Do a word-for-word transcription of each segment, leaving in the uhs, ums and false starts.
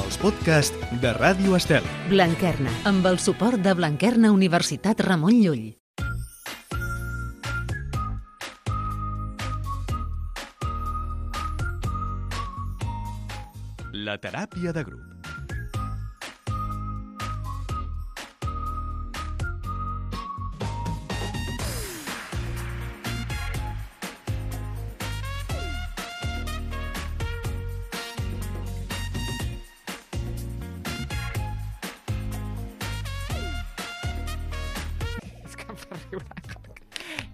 els podcasts de Ràdio Estel. Blanquerna, amb el suport de Blanquerna Universitat Ramon Llull. La teràpia de grup.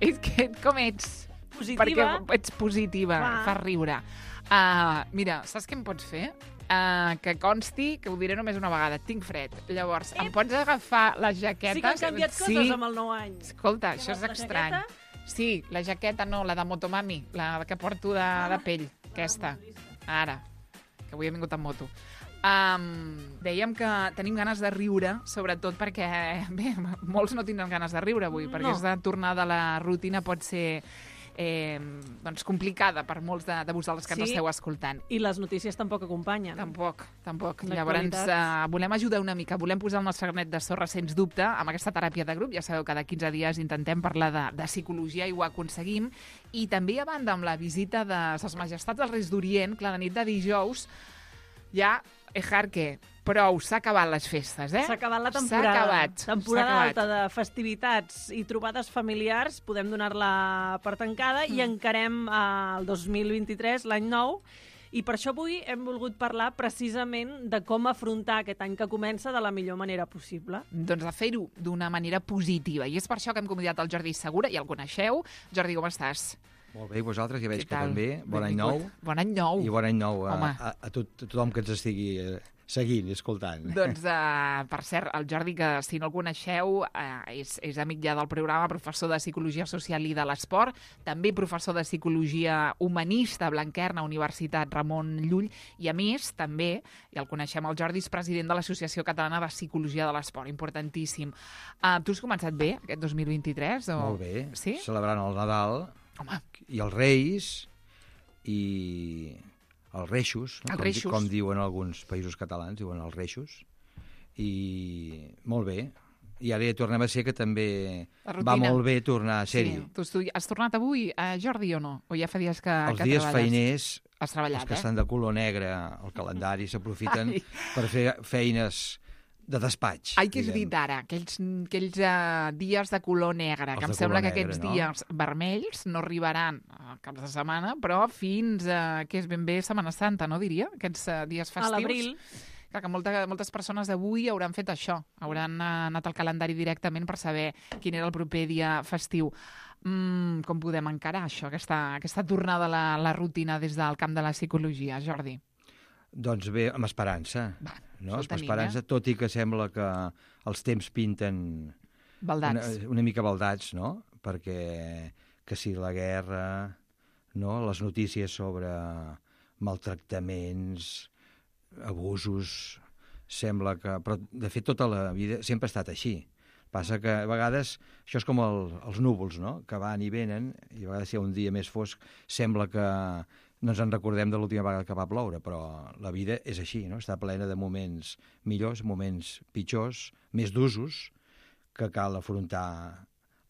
És que com ets? Positiva. Perquè ets positiva, Va. fa riure. Uh, mira, saps què em pots fer? Uh, que consti, que ho diré només una vegada, tinc fred. Llavors, em pots agafar les jaquetes? Sí que han canviat coses Sí. amb el nou any. Escolta, això és La estrany. jaqueta? Sí, la jaqueta no, la de Motomami, la que porto de, de pell, aquesta. Ara, que avui he vingut amb moto. Um, dèiem que tenim ganes de riure, sobretot perquè, bé, molts no tindran ganes de riure avui, perquè No. aquesta tornada a la rutina pot ser eh, doncs complicada per molts de, de vosaltres que ens Sí. esteu escoltant. I les notícies tampoc acompanyen. Tampoc, tampoc. L'actualitat. Llavors, uh, volem ajudar una mica, volem posar el nostre granet de sorra, sens dubte, amb aquesta teràpia de grup. Ja sabeu que cada quinze dies intentem parlar de, de psicologia i ho aconseguim. I també, a banda, amb la visita de ses majestats dels Reis d'Orient, clar, la nit de dijous, ja, ejarque, prou, s'ha acabat les festes, eh? S'ha acabat la S'ha temporada. acabat, Temporada s'ha alta acabat. de festivitats i trobades familiars. Podem donar-la per tancada Mm. i encarem eh, el dos mil vint-i-tres, l'any nou. I per això avui hem volgut parlar precisament de com afrontar aquest any que comença de la millor manera possible. Doncs a fer-ho d'una manera positiva. I és per això que hem convidat el Jordi Segura, ja el coneixeu. Jordi, com estàs? Molt bé, i vosaltres ja veig Què que tal? també. Bon any Benvingut. nou. Bon any nou. I bon any nou a, Home. a, a, tot, a tothom que ens estigui eh, seguint i escoltant. Doncs, uh, per cert, el Jordi, que si no el coneixeu, uh, és, és amic ja del programa, professor de Psicologia Social i de l'Esport, també professor de Psicologia Humanista a Blanquerna, Universitat Ramon Llull, i a més, també, i el coneixem, el Jordi és president de l'Associació Catalana de Psicologia de l'Esport, importantíssim. Uh, tu has començat bé, aquest dos mil vint-i-tres? O... Molt bé. Sí? Celebrant el Nadal Home, i els Reis i els Reixos, no? Els com, Reixos. com diuen alguns països catalans, diuen els Reixos. I molt bé. I ara ja tornem a ser que també La va rutina. molt bé tornar a ser-hi. sí. Tu, tu has tornat avui, uh, Jordi, o no? O ja fa dies que, Els que dies treballes? feiners, Has treballat, els que eh? estan de color negre al calendari, s'aprofiten Ai. per fer feines de despatx. Ai, que has diguem. dit ara? Aquells, aquells uh, dies de color negre, Els que em de sembla color que aquests negre, no? dies vermells no arribaran a caps de setmana, però fins a, que és ben bé Setmana Santa, no diria? Aquests uh, dies festius. A l'abril. Clar, que molta, moltes persones avui hauran fet això, hauran uh, anat al calendari directament per saber quin era el proper dia festiu. Mm, com podem encarar això, aquesta, aquesta tornada a la, la rutina des del camp de la psicologia, Jordi? Doncs bé, amb esperança. Va, no? això el Amb tenim, esperança, eh? tot i que sembla que els temps pinten una, Baldats. una mica baldats, no? Perquè que si la guerra, no? Les notícies sobre maltractaments, abusos, sembla que... Però, de fet, tota la vida sempre ha estat així. Passa que a vegades això és com el, els núvols, no? Que van i venen, i a vegades si hi ha un dia més fosc sembla que no ens en recordem de l'última vegada que va ploure, però la vida és així, no? Està plena de moments millors, moments pitjors, més d'usos, que cal afrontar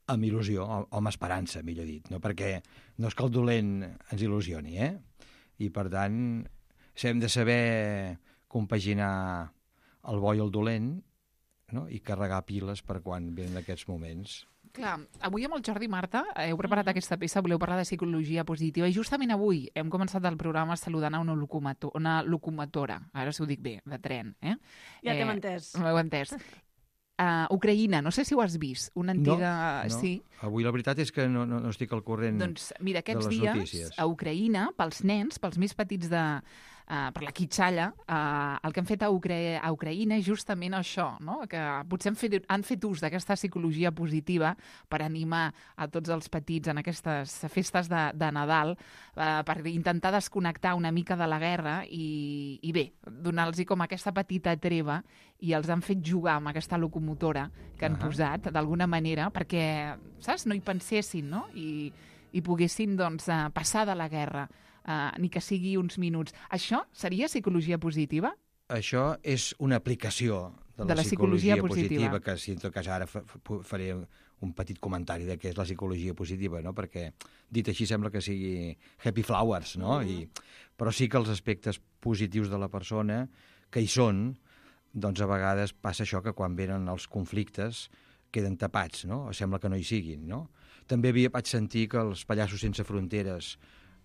amb il·lusió, o, o amb esperança, millor dit, no? Perquè no és que el dolent ens il·lusioni, eh? I, per tant, hem de saber compaginar el bo i el dolent, no? I carregar piles per quan venen aquests moments. Clar, avui amb el Jordi i Marta heu preparat aquesta peça, voleu parlar de psicologia positiva, i justament avui hem començat el programa saludant a una, locomotor, una locomotora, ara si ho dic bé, de tren. Eh? Ja eh, t'hem entès. M'heu entès. Uh, Ucraïna, no sé si ho has vist, una antiga... No, no. Sí. Avui la veritat és que no, no, no estic al corrent Doncs mira, aquests de les dies notícies. a Ucraïna, pels nens, pels més petits de, uh, per la quitxalla, uh, el que han fet a, Ucra a Ucraïna és justament això, no? Que potser han fet, han fet ús d'aquesta psicologia positiva per animar a tots els petits en aquestes festes de, de Nadal, uh, per intentar desconnectar una mica de la guerra i, i bé, donar-los com aquesta petita treva, i els han fet jugar amb aquesta locomotora que han Ahà. posat d'alguna manera perquè, saps, no hi pensessin, no? I, i poguessin doncs, uh, passar de la guerra, uh, ni que sigui uns minuts. Això seria psicologia positiva? això és una aplicació de la, De la psicologia psicologia positiva, positiva, que si en tot cas ara fa, fa, faré un petit comentari de què és la psicologia positiva, no? Perquè dit així sembla que sigui happy flowers, no? Mm. I, però sí que els aspectes positius de la persona que hi són, doncs a vegades passa això que quan venen els conflictes queden tapats, no? O sembla que no hi siguin, no? També havia, vaig sentir que els pallassos sense fronteres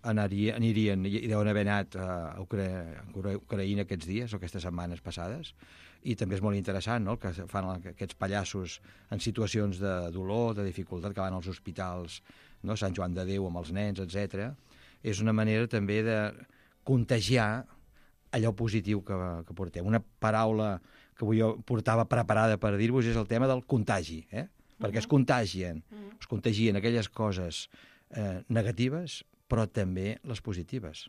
Anaria, anirien, i deuen haver anat a Ucra Ucraïna aquests dies o aquestes setmanes passades, i també és molt interessant, no?, el que fan aquests pallassos en situacions de dolor, de dificultat, que van als hospitals, no?, Sant Joan de Déu amb els nens, etcètera. És una manera també de contagiar allò positiu que, que portem. Una paraula que avui jo portava preparada per dir-vos és el tema del contagi, eh? Perquè es contagien, es contagien aquelles coses eh, negatives, però també les positives.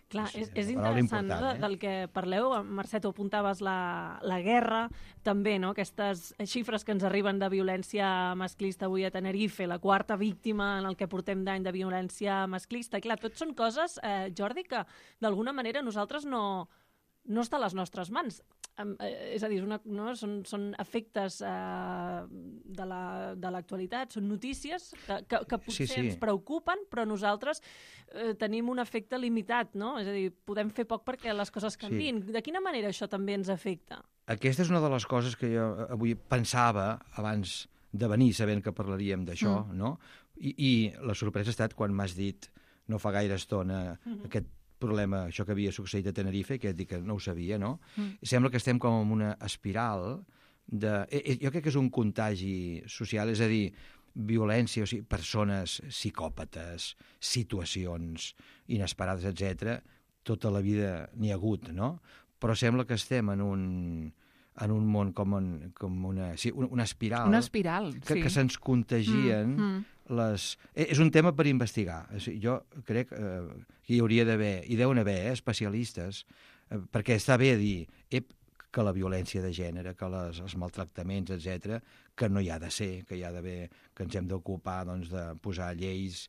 Clar, Sí, és, és una paraula interessant, important, no, eh? del que parleu. Mercè, tu apuntaves la, la guerra, també, no? Aquestes xifres que ens arriben de violència masclista avui a Tenerife, la quarta víctima en el que portem d'any de violència masclista. Clar, tot són coses, eh, Jordi, que d'alguna manera nosaltres no, no està a les nostres mans. Um, eh, és a dir, una, no? són, són efectes eh, de l'actualitat, la, són notícies que, que, que potser Sí, sí. ens preocupen, però nosaltres eh, tenim un efecte limitat, no? És a dir, podem fer poc perquè les coses canviïn. Sí. De quina manera això també ens afecta? Aquesta és una de les coses que jo avui pensava abans de venir, sabent que parlaríem d'això, mm. no? I, I la sorpresa ha estat quan m'has dit, no fa gaire estona, mm-hmm. aquest problema, això que havia succeït a Tenerife, que et dic que no ho sabia, no? Mm. I sembla que estem com en una espiral de... Jo crec que és un contagi social, és a dir, violència, o sigui, persones psicòpates, situacions inesperades, etcètera. Tota la vida n'hi ha hagut, no? Però sembla que estem en un, en un món com, en, com una, sí, una espiral. Una espiral, que, sí. Que se'ns contagien... Mm, mm. Les... És un tema per investigar. Jo crec eh, que hi hauria d'haver, hi deuen haver eh, especialistes, eh, perquè està bé dir ep, que la violència de gènere, que les, els maltractaments, etcètera, que no hi ha de ser, que hi ha d'haver, que ens hem d'ocupar doncs, de posar lleis,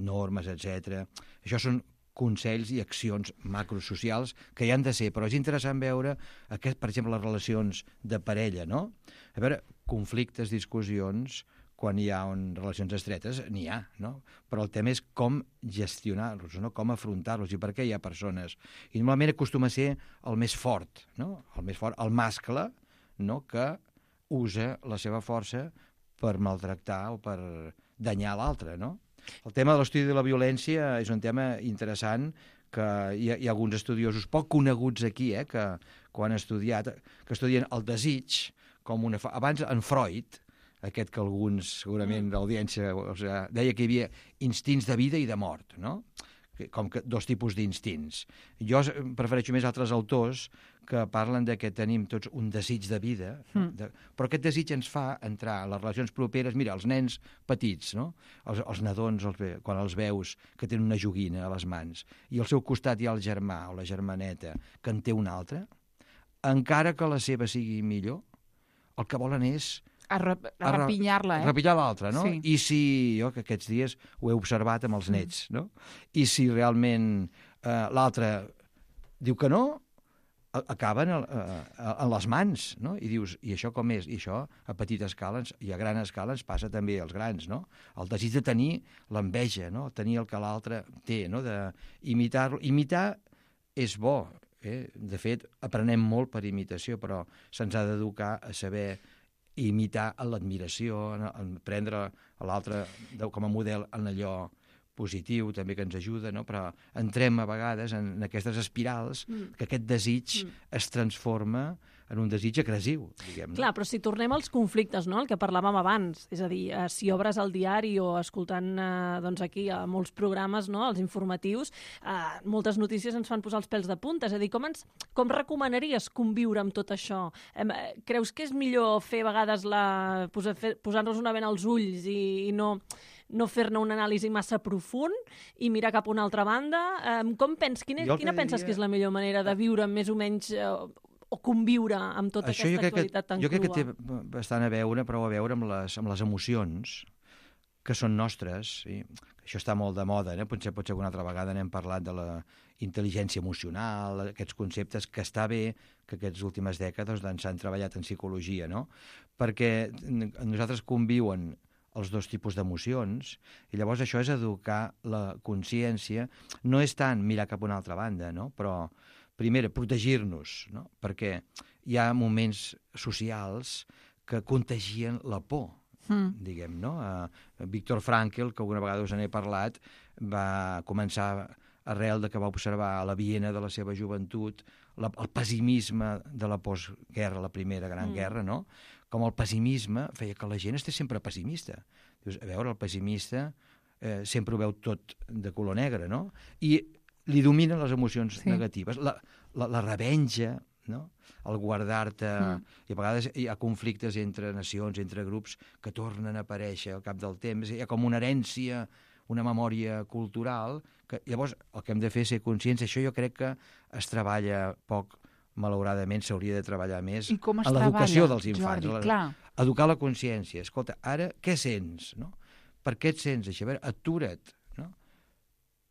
normes, etcètera. Això són consells i accions macrosocials que hi han de ser, però és interessant veure, aquest, per exemple, les relacions de parella, no? A veure, conflictes, discussions, quan hi ha un, relacions estretes, n'hi ha, no? Però el tema és com gestionar-los, no? Com afrontar-los i per què hi ha persones. I normalment acostuma a ser el més fort, no? El més fort, el mascle, no? Que usa la seva força per maltractar o per danyar l'altre, no? El tema de l'estudi de la violència és un tema interessant que hi ha, hi ha alguns estudiosos poc coneguts aquí, eh? Que, que ho han estudiat, que estudien el desig com una... Abans, en Freud, aquest que alguns, segurament, d'audiència, o sigui, deia que hi havia instints de vida i de mort, no? Com que dos tipus d'instints. Jo prefereixo més altres autors que parlen de que tenim tots un desig de vida, mm. de, però aquest desig ens fa entrar a les relacions properes. Mira, els nens petits, no? els, els nadons, els, quan els veus que tenen una joguina a les mans i al seu costat hi ha el germà o la germaneta que en té una altra, encara que la seva sigui millor, el que volen és a, rep a repinyar-la, eh? Repinyar l'altra, no? Sí. I si, jo que aquests dies ho he observat amb els nets, no? I si realment eh, l'altre diu que no, acaben a, a, a les mans, no? I dius, i això com és? I això a petita escala i a gran escala ens passa també als grans, no? El desig de tenir l'enveja, no? Tenir el que l'altre té, no? D'imitar-lo. Imitar és bo, eh? De fet, aprenem molt per imitació, però se'ns ha d'educar a saber imitar l'admiració, prendre l'altre com a model en allò positiu, també que ens ajuda, no? Però entrem a vegades en aquestes espirals mm. que aquest desig mm. es transforma en un desig agressiu, diguem. Clar, però si tornem als conflictes, no?, el que parlàvem abans, és a dir, eh, si obres el diari o escoltant eh, doncs aquí a molts programes, no?, els informatius, eh, moltes notícies ens fan posar els pèls de punta, és a dir, com, ens, com recomanaries conviure amb tot això? Eh, creus que és millor fer a vegades la, posar, posar-nos una vena als ulls i, i no... no fer-ne una anàlisi massa profund i mirar cap a una altra banda? Um, com pens, quina quina penses diria... que és la millor manera de viure més o menys uh, o conviure amb tota Això aquesta actualitat que, tan jo crua? Jo crec que té bastant a veure, prou a veure amb les, amb les emocions que són nostres. Sí? Això està molt de moda, eh? potser, potser alguna altra vegada n'hem parlat de la intel·ligència emocional, aquests conceptes que està bé que aquestes últimes dècades doncs, s'han treballat en psicologia, no? Perquè nosaltres conviuen els dos tipus d'emocions, i llavors això és educar la consciència. No és tant mirar cap a una altra banda, no? Però, primera, protegir-nos, no? Perquè hi ha moments socials que contagien la por, mm. diguem, no? Uh, Viktor Frankl, que alguna vegada us n'he parlat, va començar arrel de que va observar a la Viena de la seva joventut la, el pessimisme de la postguerra, la primera gran mm. guerra, no? Com el pessimisme feia que la gent estés sempre pessimista. Dius, a veure, el pessimista eh, sempre ho veu tot de color negre, no? I li dominen les emocions sí. negatives. La, la, la revenja, no? El guardar-te... Mm. I a vegades hi ha conflictes entre nacions, entre grups, que tornen a aparèixer al cap del temps. Hi ha com una herència, una memòria cultural, que llavors el que hem de fer és ser conscients. Això jo crec que es treballa poc, malauradament s'hauria de treballar més en l'educació dels infants. Jordi, clar. Educar la consciència. Escolta, ara què sents? No? Per què et sents així? A veure, atura't. No?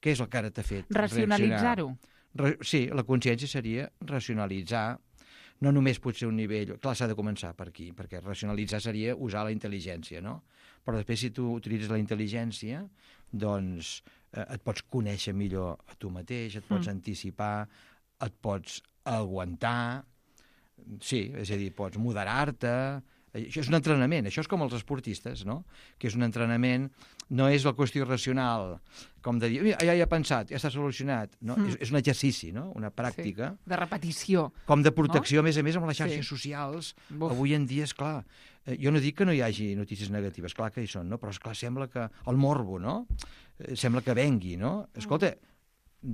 Què és el que ara t'ha fet? Racionalitzar-ho. Re sí, la consciència seria racionalitzar, no només pot ser un nivell... Clar, s'ha de començar per aquí, perquè racionalitzar seria usar la intel·ligència, no? Però després, si tu utilitzes la intel·ligència, doncs eh, et pots conèixer millor a tu mateix, et pots mm. anticipar, et pots aguantar, sí, és a dir, pots moderar-te. Això és un entrenament, això és com els esportistes, no? Que és un entrenament, no és la qüestió racional, com de dir, ja hi he pensat, ja està solucionat, no? Mm. És, és un exercici, no? Una pràctica. Sí. De repetició. Com de protecció, no? A més a més, amb les xarxes sí. socials. Buf. Avui en dia, és clar, eh, jo no dic que no hi hagi notícies negatives, clar que hi són, no? Però, esclar, sembla que el morbo, no? Eh, sembla que vengui, no? Escolta,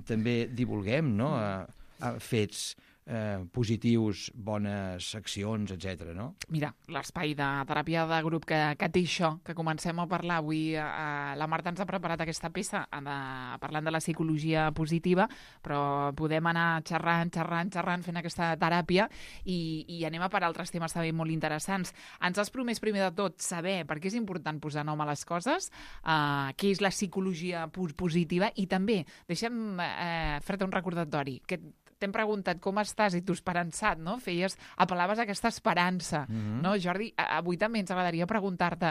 també divulguem, no? A, a fets eh, positius, bones accions, etcètera, no? Mira, l'espai de teràpia de grup que, que té això, que comencem a parlar avui, eh, la Marta ens ha preparat aquesta peça de, parlant de la psicologia positiva, però podem anar xerrant, xerrant, xerrant, fent aquesta teràpia i, i anem a per altres temes també molt interessants. Ens has promès primer de tot saber per què és important posar nom a les coses, eh, què és la psicologia positiva i també, deixa'm eh, fer-te un recordatori, que t'hem preguntat com estàs i tu esperançat, no? Feies, apel·laves a aquesta esperança, mm-hmm. no, Jordi? Avui també ens agradaria preguntar-te,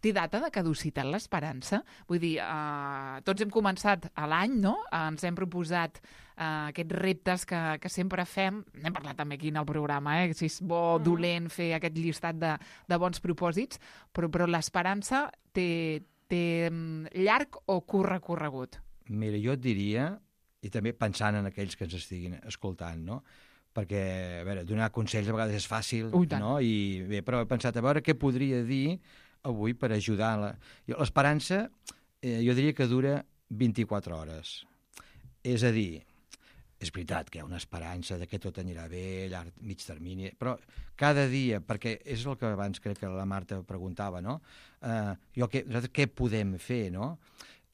té data de caducitat l'esperança? Vull dir, eh, tots hem començat a l'any, no? Ens hem proposat eh, aquests reptes que, que sempre fem. N'hem parlat també aquí en el programa, eh? Si és bo o mm. dolent fer aquest llistat de, de bons propòsits, però, però l'esperança té, té llarg o curt recorregut? Mira, jo et diria, i també pensant en aquells que ens estiguin escoltant, no? Perquè, a veure, donar consells a vegades és fàcil, Ui, no? I bé, però he pensat, a veure què podria dir avui per ajudar. La... L'esperança, eh, jo diria que dura vint-i-quatre hores. És a dir, és veritat que hi ha una esperança de que tot anirà bé, llarg, mig termini, però cada dia, perquè és el que abans crec que la Marta preguntava, no? Eh, jo, què, què podem fer, no?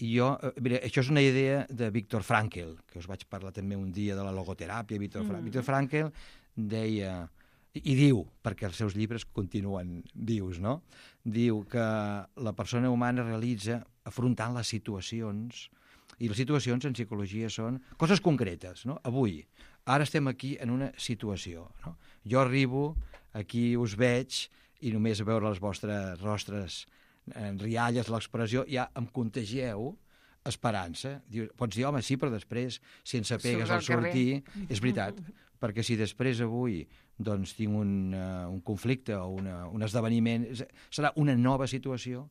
I jo, mira, això és una idea de Viktor Frankl, que us vaig parlar també un dia de la logoteràpia. Viktor, mm. Viktor Frankl deia, i diu, perquè els seus llibres continuen vius, no? Diu que la persona humana realitza afrontant les situacions, i les situacions en psicologia són coses concretes, no? Avui, ara estem aquí en una situació, no? Jo arribo, aquí us veig, i només a veure les vostres rostres en rialles, l'expressió, ja em contagieu esperança. Diu, pots dir, home, sí, però després, si ens apegues al sortir, és veritat, perquè si després avui doncs, tinc un, uh, un conflicte o una, un esdeveniment, serà una nova situació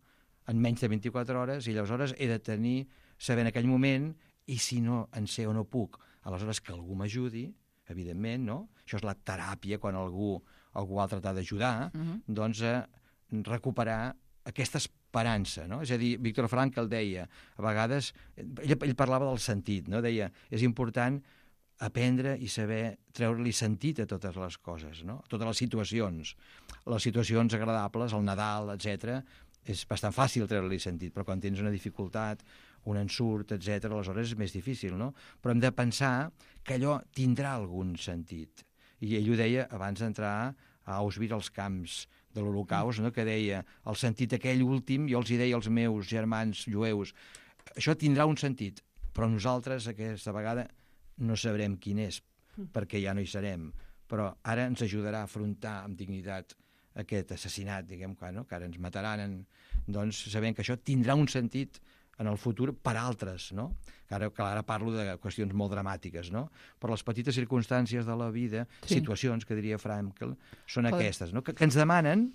en menys de vint-i-quatre hores i aleshores he de tenir, saber en aquell moment, i si no en sé o no puc, aleshores que algú m'ajudi, evidentment, no? Això és la teràpia, quan algú, algú altre t'ha d'ajudar, uh-huh. doncs a recuperar aquesta esperança, no? És a dir, Viktor Frankl deia, a vegades, ell, ell parlava del sentit, no? Deia, és important aprendre i saber treure-li sentit a totes les coses, no? Totes les situacions. Les situacions agradables, el Nadal, etcètera, és bastant fàcil treure-li sentit, però quan tens una dificultat, un ensurt, etcètera, aleshores és més difícil, no? Però hem de pensar que allò tindrà algun sentit. I ell ho deia abans d'entrar a Auschwitz, als camps de l'Holocaust, no? Que deia, el sentit aquell últim, jo els hi deia als meus germans jueus, això tindrà un sentit, però nosaltres aquesta vegada no sabrem quin és, perquè ja no hi serem, però ara ens ajudarà a afrontar amb dignitat aquest assassinat, diguem, que, no? que ara ens mataran, en, doncs sabem que això tindrà un sentit en el futur per altres, no? Que ara, que ara parlo de qüestions molt dramàtiques, no? Però les petites circumstàncies de la vida, Sí. situacions, que diria Frankl, són Pot- aquestes, no? que, que ens demanen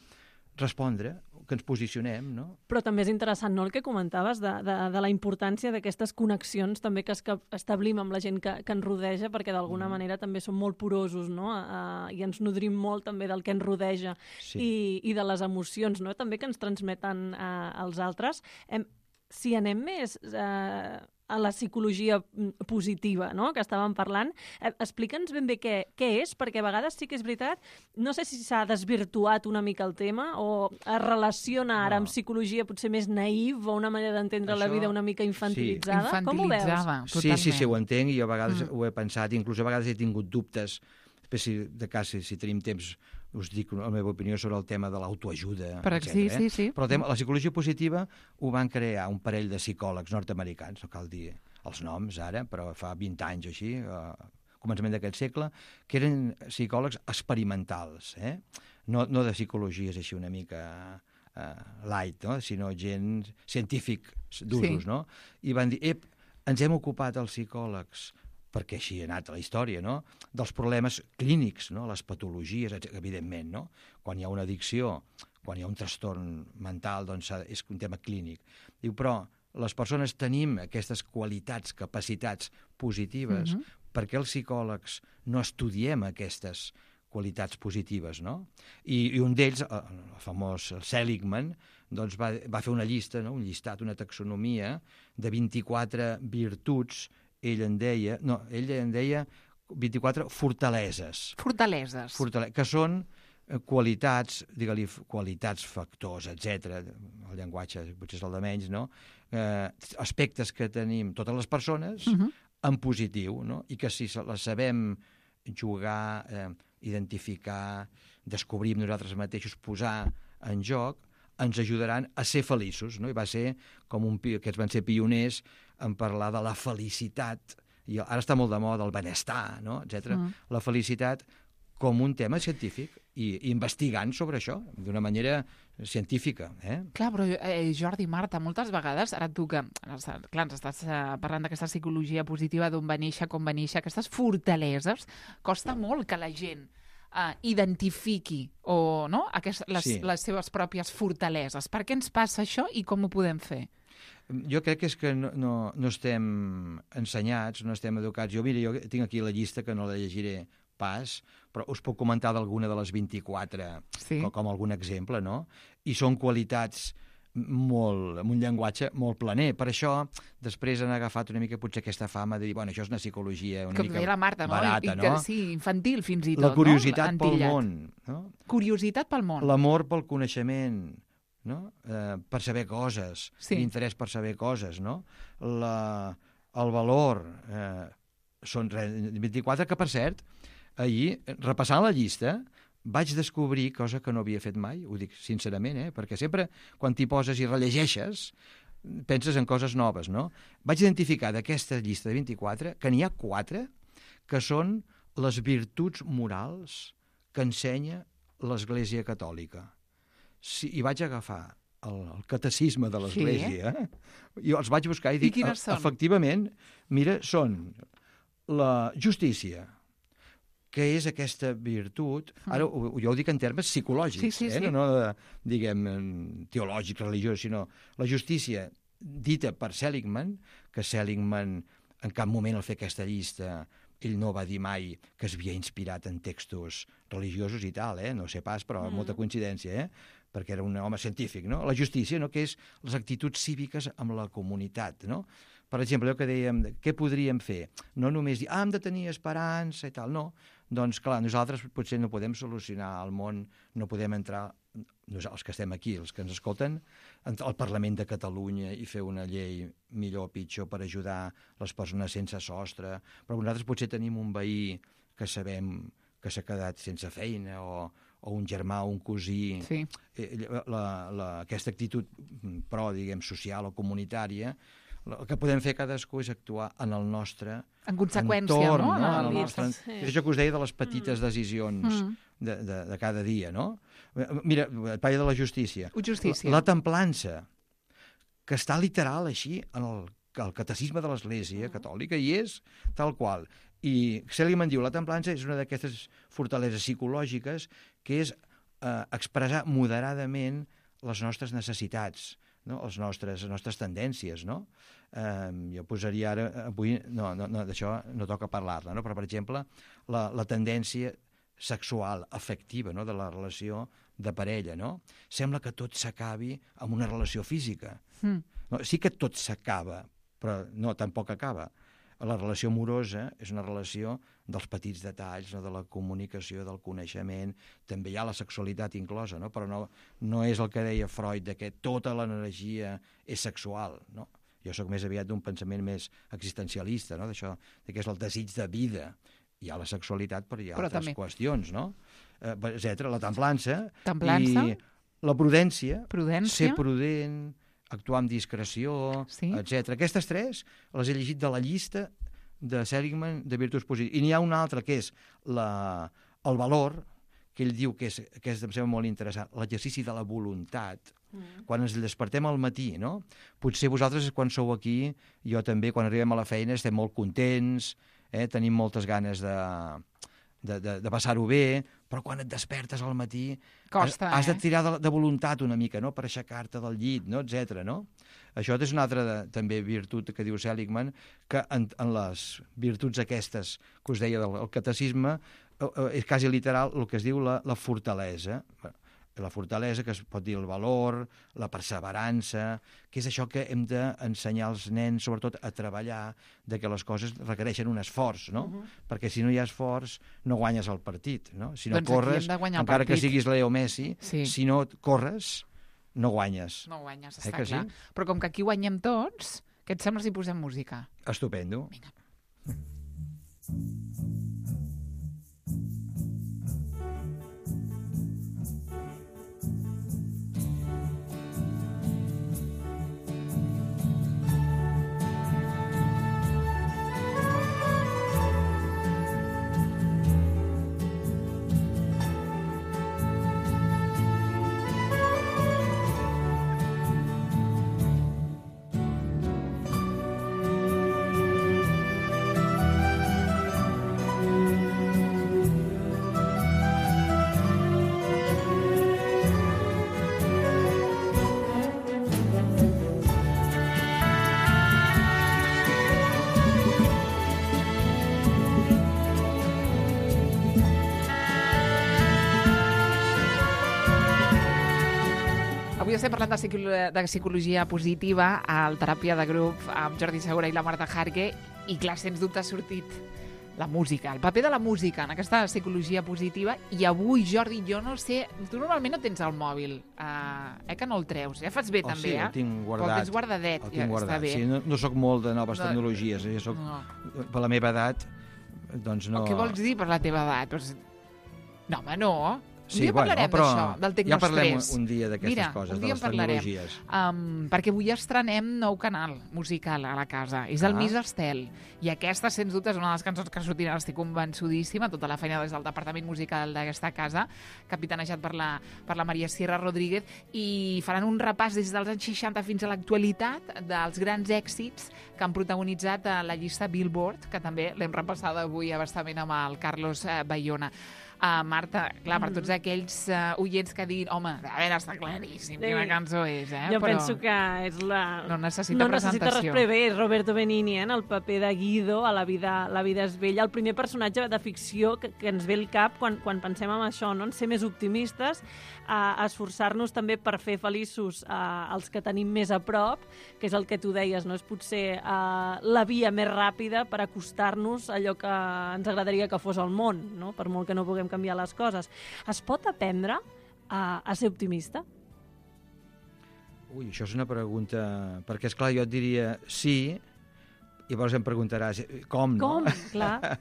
respondre, que ens posicionem, no? Però també és interessant, no?, el que comentaves de, de, de la importància d'aquestes connexions també que, es, que establim amb la gent que, que ens rodeja, perquè d'alguna mm. manera també som molt porosos, no?, uh, i ens nodrim molt també del que ens rodeja Sí. i, i de les emocions, no?, també que ens transmeten uh, els altres. Hem, si anem més uh, a la psicologia mm, positiva, no?, que estàvem parlant, eh, explica'ns ben bé què, què és, perquè a vegades sí que és veritat, no sé si s'ha desvirtuat una mica el tema o es relaciona ara No. amb psicologia potser més naïf o una manera d'entendre la Això- vida una mica infantilitzada. Com ho veus? Infantilitzada, Sí, totalment. sí, sí, ho entenc, i jo a vegades Mm. mm. ho he pensat, inclús a vegades he tingut dubtes, després si, de cas, si, si tenim temps, us dic la meva opinió sobre el tema de l'autoajuda, Per etcètera. sí, sí, sí. Però el tema, la psicologia positiva ho van crear un parell de psicòlegs nord-americans, no cal dir els noms ara, però fa vint anys o així, a començament d'aquest segle, que eren psicòlegs experimentals, eh? no, no de psicologies així una mica uh, light, no? Sinó gent científic d'usos, Sí. no? I van dir, ep, ens hem ocupat els psicòlegs, perquè així ha anat la història, no?, dels problemes clínics, no?, les patologies, etcètera, evidentment, no? Quan hi ha una addicció, quan hi ha un trastorn mental, doncs és un tema clínic. Diu, però les persones tenim aquestes qualitats, capacitats positives, Mhm. per què els psicòlegs no estudiem aquestes qualitats positives, no? I, i un d'ells, el, el famós Seligman, doncs va, va fer una llista, no? Un llistat, una taxonomia de vint-i-quatre virtuts, ell en deia, no, ell en deia vint-i-quatre fortaleses, Fortaleses. fortale que són eh, qualitats, digue-li qualitats, factors, etcètera. El llenguatge potser és el de menys, no? Eh, aspectes que tenim totes les persones Mhm. en positiu, no? I que si se les sabem jugar, eh, identificar, descobrir amb nosaltres mateixos, posar en joc, ens ajudaran a ser feliços, no? I va ser com un, pi- aquests van ser pioners en parlar de la felicitat, i ara està molt de moda el benestar, no? etcètera. Mm. La felicitat com un tema científic i, i investigant sobre això d'una manera científica. Eh? Clar, però eh, Jordi, Marta, moltes vegades, ara tu que, clar, ens estàs eh, parlant d'aquesta psicologia positiva, d'on va néixer, com va néixer, aquestes fortaleses, costa molt que la gent eh, identifiqui o, no? Aquest, les, Sí. les seves pròpies fortaleses. Per què ens passa això i com ho podem fer? Jo crec que és que no, no, no estem ensenyats, no estem educats. Jo, mira, jo tinc aquí la llista que no la llegiré pas, però us puc comentar d'alguna de les vint-i-quatre Sí. com, com algun exemple, no? I són qualitats molt, amb un llenguatge molt planer. Per això, després han agafat una mica potser aquesta fama de dir, bueno, això és una psicologia una Com mica deia la Marta, no? barata, I, que, no? sí, infantil fins i tot, La curiositat no? pel Entillat. món, no? Curiositat pel món. L'amor pel coneixement, no? Eh, per saber coses, Sí. l'interès per saber coses, no? La, el valor, eh, són re- vint-i-quatre, que per cert, ahir, repassant la llista, vaig descobrir cosa que no havia fet mai, ho dic sincerament, eh? Perquè sempre quan t'hi poses i rellegeixes, penses en coses noves, no? Vaig identificar d'aquesta llista de vint-i-quatre que n'hi ha quatre que són les virtuts morals que ensenya l'Església Catòlica. Sí, i vaig agafar el, el catecisme de l'Església, eh? I els vaig buscar i I dic, quines són? efectivament, mira, són la justícia, que és aquesta virtut, ara ho, jo ho dic en termes psicològics, Sí, sí, eh? sí. no, no de, diguem, teològics, religiosos, sinó la justícia dita per Seligman, que Seligman en cap moment al fer aquesta llista ell no va dir mai que es havia inspirat en textos religiosos i tal, eh? No sé pas, però mm. molta coincidència, eh? Perquè era un home científic, no? La justícia, no?, que és les actituds cíviques amb la comunitat, no? Per exemple, allò que dèiem, què podríem fer? No només dir, ah, hem de tenir esperança i tal, no. Doncs, clar, nosaltres potser no podem solucionar el món, no podem entrar, nosaltres, els que estem aquí, els que ens escolten, al Parlament de Catalunya i fer una llei millor o pitjor per ajudar les persones sense sostre, però nosaltres potser tenim un veí que sabem que s'ha quedat sense feina o, o un germà o un cosí. Sí. La, la, aquesta actitud pro, diguem, social o comunitària, el que podem fer cadascú és actuar en el nostre En conseqüència, entorn, no? no? En En el el- nostre... Sí. És això que us deia de les petites decisions Mm. de, de, de cada dia, no? Mira, et parlo de la justícia. Justícia. La, la templança, que està literal així en el, el catecisme de l'Església Catòlica, i és tal qual. I Seligman diu, la templança és una d'aquestes fortaleses psicològiques que és eh, expressar moderadament les nostres necessitats, no? les, nostres, les nostres tendències, no? Eh, jo posaria ara, avui, no, no, no d'això no toca parlar-ne, no? Però, per exemple, la, la tendència sexual, afectiva, no? De la relació de parella, no? Sembla que tot s'acabi amb una relació física. Mm. No, sí que tot s'acaba, però no, tampoc acaba. La relació amorosa és una relació dels petits detalls, no? De la comunicació, del coneixement, també hi ha la sexualitat inclosa, no? Però no, no és el que deia Freud, de que tota l'energia és sexual, no? Jo sóc més aviat d'un pensament més existencialista, no? D'això, de que és el desig de vida. Hi ha la sexualitat, però hi ha Però altres també. qüestions, no? Eh, etcètera. La templança, Templança. i la prudència, Prudència. ser prudent, actuar amb discreció, Sí. etcètera. Aquestes tres les he llegit de la llista de Seligman de virtuts positives. I n'hi ha una altra que és la, el valor, que ell diu que és, que és, em sembla molt interessant, l'exercici de la voluntat. Mm. Quan ens despertem al matí, no? Potser vosaltres, quan sou aquí, jo també, quan arribem a la feina, estem molt contents, eh? Tenim moltes ganes de, de, de, de passar-ho bé, però quan et despertes al matí Costa, has, has de eh? tirar de, de voluntat una mica, no? Per aixecar-te del llit, no? Etcètera, no? Això és una altra de, també virtut que diu Seligman, que en, en les virtuts aquestes que us deia del el catecisme, eh, eh, és quasi literal el que es diu la, la fortalesa. La fortalesa, que es pot dir el valor, la perseverança, que és això que hem d'ensenyar als nens, sobretot a treballar, de que les coses requereixen un esforç, no? Uh-huh. Perquè si no hi ha esforç, no guanyes el partit, no? Si no Doncs aquí corres, hem de guanyar el encara que partit. siguis Leo Messi, Sí. si no corres, no guanyes. No guanyes, Eh està que sí? clar. Però com que aquí guanyem tots, què et sembla si posem música? Estupendo. Vinga. Avui estem parlant de, psicolo de psicologia positiva al Teràpia de Grup amb Jordi Segura i la Marta Jarque, i clar, sens dubte ha sortit la música, el paper de la música en aquesta psicologia positiva. I avui, Jordi, jo no sé, tu normalment no tens el mòbil, uh, eh que no el treus, ja fas bé Oh, també, sí, eh? el tinc Però guardat. el tens guardadet, El ja tinc guardat. està bé. Sí, no, no sóc molt de noves No. tecnologies, eh? Soc, No. per la meva edat, doncs no... Què vols dir per la teva edat? Doncs... No, home, no. Un Sí, dia bueno, parlarem però d'això, del ja parlem tecnostrès. un dia d'aquestes Mira, coses, un de dia les en parlarem. tecnologies. Um, perquè avui estrenem nou canal musical a la casa. És el Ah. Miss Estel. I aquesta, sens dubte, és una de les cançons que sortiran, estic convençudíssima, tota la feina des del departament musical d'aquesta casa, capitanejat per la, per la Maria Sierra Rodríguez, i faran un repàs des dels anys seixanta fins a l'actualitat dels grans èxits que han protagonitzat a la llista Billboard, que també l'hem repassada avui abastament amb el Carlos eh, Bayona. Uh, Marta, clar, per tots aquells uh, oients que diguin, home, a veure, està claríssim Sí. quina cançó és, eh? Jo Però penso que és la... no necessita no necessita presentació. res bé, és Roberto Benigni, eh, en el paper de Guido a La vida, la vida és bella, el primer personatge de ficció que, que ens ve al cap quan, quan pensem en això, no? En ser més optimistes, a, a esforçar-nos també per fer feliços a, els que tenim més a prop, que és el que tu deies, no? És potser a, la via més ràpida per acostar-nos a allò que ens agradaria que fos el món, no? Per molt que no puguem canviar les coses. Es pot aprendre a, a ser optimista? Ui, això és una pregunta... Perquè, és clar, jo et diria sí, i llavors em preguntaràs com, no? Com? Clar.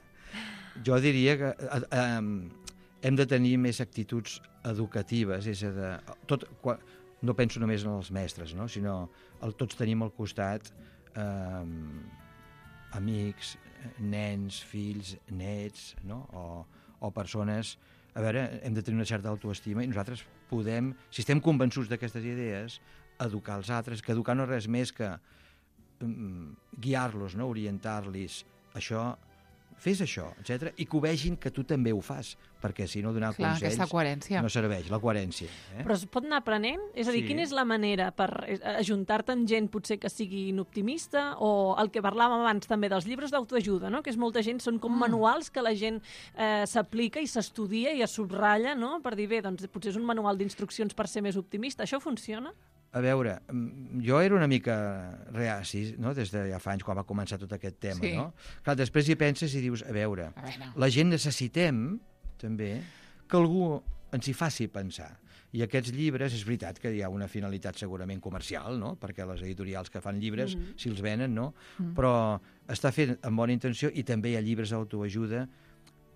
Jo diria que eh, eh, hem de tenir més actituds educatives, és a dir, tot, quan, no penso només en els mestres, no? Sinó el, tots tenim al costat eh, amics, nens, fills, nets, no? o, o persones... A veure, hem de tenir una certa autoestima i nosaltres podem, si estem convençuts d'aquestes idees, educar els altres, que educar no és res més que um, guiar-los, no? Orientar-los. Això, fes això, etcètera, i que ho vegin que tu també ho fas, perquè si no donar Clar, consells aquesta coherència. no serveix, la coherència. Eh? Però es pot anar aprenent? És a dir, Sí. quina és la manera per ajuntar-te amb gent potser que siguin optimista, o el que parlàvem abans també dels llibres d'autoajuda, no? Que és molta gent, són com Mm. manuals que la gent eh, s'aplica i s'estudia i es subratlla, no? Per dir, bé, doncs potser és un manual d'instruccions per ser més optimista. Això funciona? A veure, mm, jo era una mica reaci, no?, des de ja fa anys, quan va començar tot aquest tema, Sí. no? Clar, després hi penses i dius, a veure, A veure. la gent necessitem, també, que algú ens hi faci pensar. I aquests llibres, és veritat que hi ha una finalitat segurament comercial, no?, perquè les editorials que fan llibres, Mhm. si els venen, no?, Mm. però està fet amb bona intenció i també hi ha llibres d'autoajuda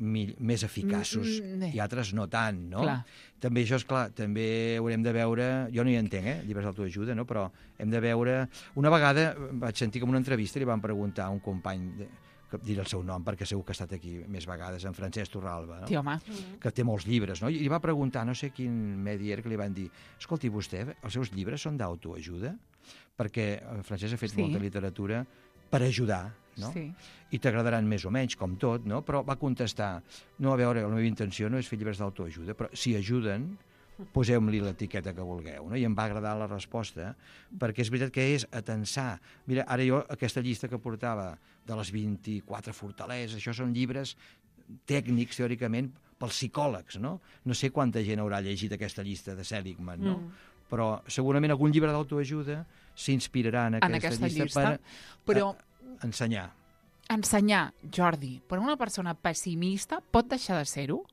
mi- més eficaços Mm, mm, i altres no tant, no? Clar. També això, és clar, també haurem de veure... Jo no hi entenc, eh, llibres d'autoajuda, no? Però hem de veure... Una vegada vaig sentir com una entrevista i li van preguntar a un company, de, que diré el seu nom perquè segur que ha estat aquí més vegades, en Francesc Torralba, no? Sí, home. Que té molts llibres, no? I li va preguntar, no sé quin medi era, que li van dir, escolti, vostè, els seus llibres són d'autoajuda? Perquè en Francesc ha fet Sí. molta literatura per ajudar, no? Sí. I t'agradaran més o menys, com tot, no? Però va contestar, no, a veure, la meva intenció no és fer llibres d'autoajuda, però si ajuden, poseu-li l'etiqueta que vulgueu, no? I em va agradar la resposta, perquè és veritat que és atensar. Mira, ara jo, aquesta llista que portava de les vint-i-quatre fortaleses, això són llibres tècnics, teòricament, pels psicòlegs, no? No sé quanta gent haurà llegit aquesta llista de Seligman, no? Mm. Però segurament algun llibre d'autoajuda s'inspirarà en aquesta, En aquesta llista. llista Però per ensenyar. ensenyar, Jordi, però una persona pessimista pot deixar de ser-ho?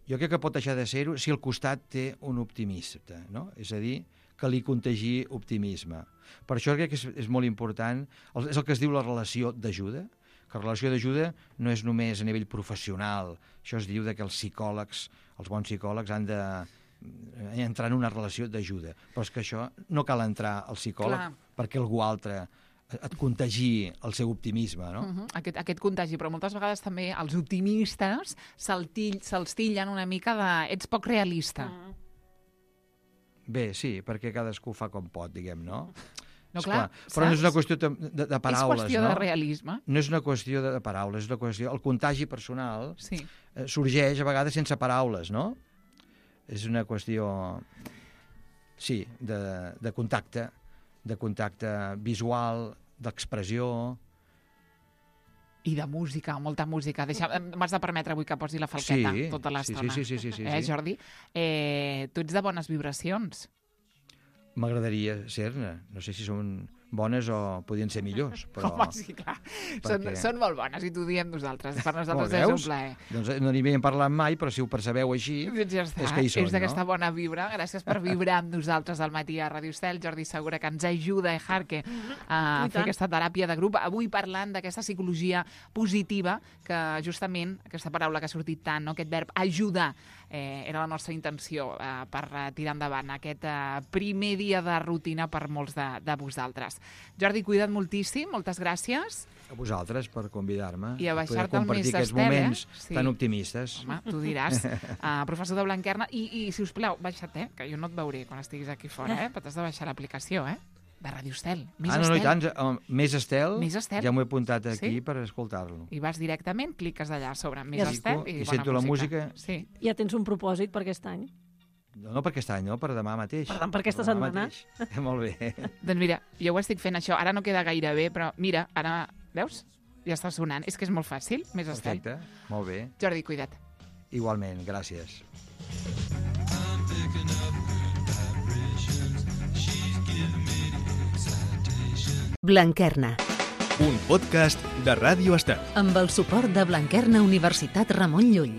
Jo crec que pot deixar de ser-ho si al costat té un optimista, no? És a dir, que li contagi optimisme. Per això crec que és, és molt important, el, és el que es diu la relació d'ajuda, que la relació d'ajuda no és només a nivell professional, això es diu de que els psicòlegs, els bons psicòlegs han de entrar en una relació d'ajuda, però és que això no cal entrar al psicòleg Clar. perquè algú altre et contagi el seu optimisme, no? Uh -huh. aquest, aquest contagi, però moltes vegades també els optimistes se'ls till, se tillen una mica de ets poc realista. Mm. Bé, sí, perquè cadascú fa com pot, diguem, no? No, És clar, però no és saps? una qüestió de, de, de paraules, És qüestió no? de realisme. No és una qüestió de, de paraules, és una qüestió... El contagi personal Sí. eh, sorgeix a vegades sense paraules, no? És una qüestió, sí, de, de contacte, de contacte visual, d'expressió... I de música, molta música. Deixa, m'has de permetre avui que posi la falqueta Sí, tota sí, l'estona. sí, sí, sí, sí, eh, sí. Jordi? Eh, tu ets de bones vibracions. M'agradaria ser-ne. No sé si són bones o podien ser millors, però... Home, sí, clar. Són, perquè- són molt bones i t'ho diem nosaltres. Per Oh, nosaltres és un veus? plaer. Doncs no n'hi havíem parlat mai, però si ho percebeu així... Doncs ja està. És que hi són, és d'aquesta no? bona vibra. Gràcies per vibrar amb nosaltres al matí a Ràdio Estel. Jordi Segura, que ens ajuda, eh, Jarque, a I fer tant. aquesta teràpia de grup. Avui parlant d'aquesta psicologia positiva, que justament, aquesta paraula que ha sortit tant, no? Aquest verb ajudar, eh, era la nostra intenció eh, per eh, tirar endavant aquest eh, primer dia de rutina per molts de, de vosaltres. Jordi, cuida't moltíssim, moltes gràcies. A vosaltres per convidar-me. I a poder baixar-te al compartir més aquests estel, eh? moments Sí. tan optimistes. Home, tu diràs. Uh, professor de Blanquerna. I, i si us plau, baixa't, eh? Que jo no et veuré quan estiguis aquí fora, eh? Però t'has de baixar l'aplicació, eh? De Ràdio Estel. Més ah, no, no, i Estel. tant. Uh, més Estel, Més Estel. ja m'ho he apuntat aquí Sí? per escoltar-lo. I vas directament, cliques allà sobre Més Ja Estel clico i, i bona sento la música. Sí. Ja tens un propòsit per aquest any? No, no per aquest any, no, per demà mateix. Per tant, per aquesta demà setmana. mateix. Molt bé. Doncs mira, jo ho estic fent això. Ara no queda gaire bé, però mira, ara... Veus? Ja està sonant. És que és molt fàcil, Més Estel. Perfecte, molt bé. Jordi, cuida't. Igualment, gràcies. Blanquerna, Un podcast de Ràdio Estel. amb el suport de Blanquerna Universitat Ramon Llull.